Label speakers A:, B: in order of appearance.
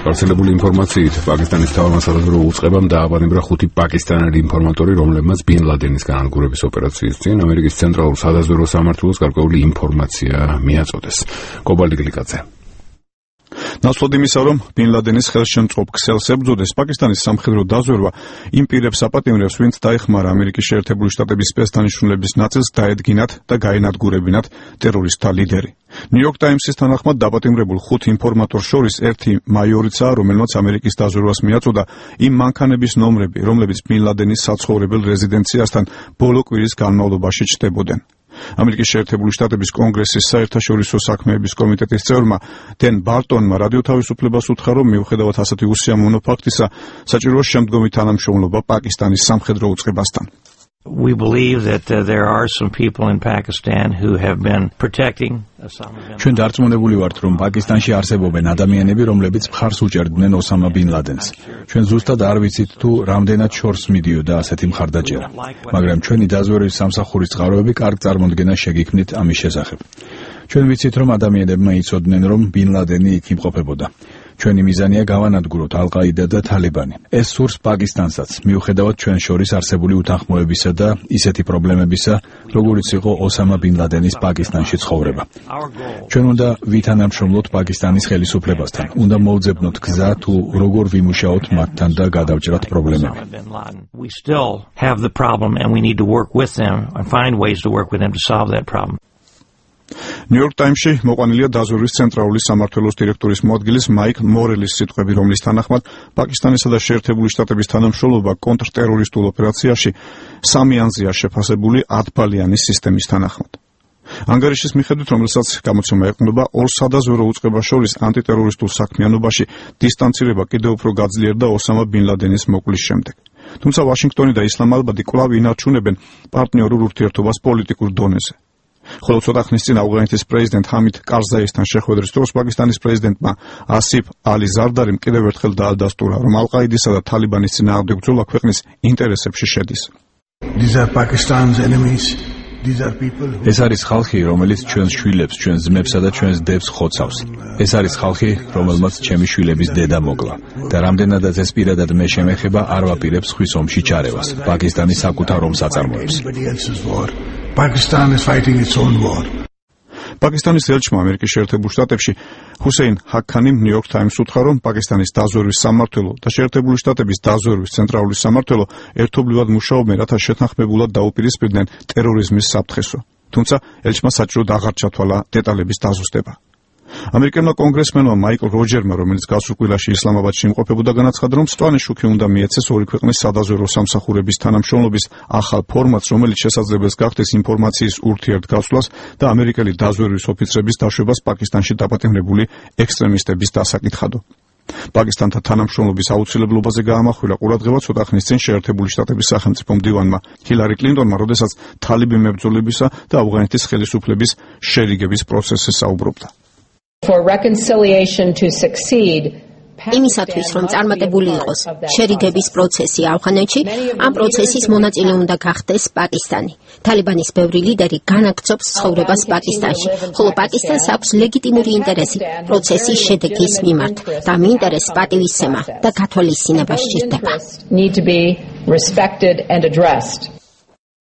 A: გავრცელებული ინფორმაციით პაკისტანის მთავარმა სადაზვერვო უწყებამ დააბანებრა 5 პაკისტანელი ინფორმატორი, რომლებმაც ბინ ლადენის განადგურების ოპერაციის წინ ამერიკის ცენტრალურ სადაზვერვო სამმართველოს გარკვეული ინფორმაცია მიაწოდეს. კობალდი გლიკაძე.
B: ნაცვლად იმისა, რომ ბინ ლადენის ხელშემწყობ ქსელს ებრძოდეს, პაკისტანის სამხედრო დაზვერვა იმ პირებს აპატიმრებს, ვინც დაეხმარა ამერიკის შეერთებული შტატების სპეცდანიშნულების ნაწილს დაედგინათ და გაენადგურებინათ ტერორისტთა ლიდერი. ნიუ-იორკ ტაიმსის თანახმად დაპატიმრებულ 5 ინფორმატორს შორის ერთი მაიორიცაა, რომელმაც ამერიკის დაზვერვას მიაწოდა იმ მანქანების ნომრები, რომლებიც ბინ ლადენის საცხოვრებელ რეზიდენციასთან ბოლო კვირის განმავლობაში ჩნდებოდნენ. ამერიკის შეერთებული შტატების კონგრესის საერთაშორისო საქმეების კომიტეტის წევრმა დენ ბარტონმა რადიო თავისუფლებას უთხრა, რომ მიუხედავად ასეთი უსიამოვნო ფაქტისა, საჭიროა შემდგომი თანამშრომლობა პაკისტანის სამხედრო უწყებასთან.
C: We believe that there are some people in Pakistan who have been protecting
D: ჩვენ დარწმუნებული ვართ, რომ პაკისტანში არსებობენ ადამიანები, რომლებიც მხარს უჭერდნენ ოსამა ბინ ლადენს. ჩვენ ზუსტად არ ვიცით თუ რამდენად შორს მიდიოდა ასეთი მხარდაჭერა, მაგრამ ჩვენი დაზვერვის სამსახურის წყაროები კარგ წარმოდგენას შეგიქმნით ამის შესახებ. ჩვენ ვიცით, რომ ადამიანებმა იცოდნენ, რომ ბინ ლადენი იქ იმყოფებოდა. ჩვენი მიზანია გავანადგუროთ ალ-ყაიდა და თალიბანი. ეს სურს პაკისტანსაც, მიუხედავად ჩვენ შორის არსებული უთანხმოებისა და ისეთი პრობლემებისა, როგორიც იყო ოსამა ბინ ლადენის პაკისტანში ცხოვრება. ჩვენ უნდა ვითანამშრომლოთ პაკისტანის ხელისუფლებასთან, უნდა მოვძებნოთ გზა თუ როგორ ვიმუშაოთ მათთან და გადავჭრათ პრობლემები.
C: We still have the problem and we need to work with them and find ways to work with them to solve that problem.
B: ნიუ-იორკ ტაიმსში მოყვანილია დაზვერვის ცენტრალური სამმართველოს დირექტორის მოადგილის მაიკ მორელის სიტყვები, რომლის თანახმად პაკისტანისა და შეერთებული შტატების თანამშრომლობა კონტრტერორისტულ ოპერაციაში 3 ანზეა შეფასებული 10 ბალიანის სისტემის თანახმად. ანგარიშის მიხედვით, რომელსაც გამოცემა ეყრდნობა, ორ სადაზვერვო უწყებას შორის ანტიტერორისტულ საქმიანობაში დისტანცირება კიდევ უფრო გაძლიერდა ოსამა ბინ ლადენის მოკვლის შემდეგ. თუმცა ვაშინგტონი და ისლამაბადი კვლავ ინარჩუნებენ პარტნიორულ ურთიერთობას პოლიტიკურ დონეზე. ხოლო ცოტა ხნის წინ ავღანეთის პრეზიდენტ ჰამიდ კარზაისთან შეხვედრის დროს პაკისტანის პრეზიდენტმა ასიფ ალი ზარდარიმ კიდევ ერთხელ დაადასტურა, რომ ალ-ყაიდისა და თალიბანის წინააღმდეგ ბრძოლა ქვეყნის ინტერესებში შედის.
D: ეს არის ხალხი, რომელიც ჩვენს შვილებს, ჩვენს ძმებსა და ჩვენს დებს ხოცავს. ეს არის ხალხი, რომელმაც ჩემი შვილების დედა მოკლა და რამდენადაც ეს პირადად მე შემეხება, არ ვაპირებ სხვის ომში ჩარევას. პაკისტანი საკუთარ ომს აწარმოებს.
B: Pakistan is fighting its own war. პაკისტანის ელჩმა ამერიკის შეერთებულ შტატებში ჰუსეინ ჰაქანიმ ნიუ-იორკ ტაიმსს უთხრა, რომ პაკისტანის დაზვერვის სამმართველო და შეერთებული შტატების დაზვერვის ცენტრალური სამმართველო ერთობლივად მუშაობენ, რათა შეთანხმებულად დაუპირისპირდნენ ტერორიზმის საფრთხესო. თუმცა ელჩმა საჭიროდ აღარ ჩათვალა დეტალების დაზუსტება. ამერიკელმა კონგრესმენმა მაიკლ როჯერმა, რომელიც გასულ კვირაში ისლამაბადში იმყოფებოდა, განაცხადა, რომ სწვანი შუქი უნდა მიეცეს ორი ქვეყნის სადაზვერვო სამსახურების თანამშრომლობის ახალ ფორმატს, რომელიც შესაძლებელს გახდეს ინფორმაციის ურთიერთგაცვლას და ამერიკელი დაზვერვის ოფიცრების დაშვებას პაკისტანში დაპატიმრებული ექსტრემისტების დასაკითხადო. პაკისტანთან თანამშრომლობის აუცილებლობაზე გაამახვილა ყურადღება ცოტა ხნის წინ შეერთებული შტატების სახელმწიფო მდივანმა ჰილარი კლინტონმა, როდესაც თალიბი მებრძოლებისა და ავღანეთის ხელისუფლების შერიგების პროცესზე საუბრობდა.
E: For reconciliation to succeed,
F: იმისათვის, რომ წარმატებული იყოს შერიგების პროცესი ავღანეთში, ამ პროცესის მონაწილე უნდა გახდეს პაკისტანი. თალიბანის ბევრი ლიდერი განაგრძობს ცხოვრებას პაკისტანში, ხოლო პაკისტანს აქვს ლეგიტიმური ინტერესი პროცესის შედეგის მიმართ და ამ ინტერესს პატივისცემა და გათვალისწინება სჭირდება.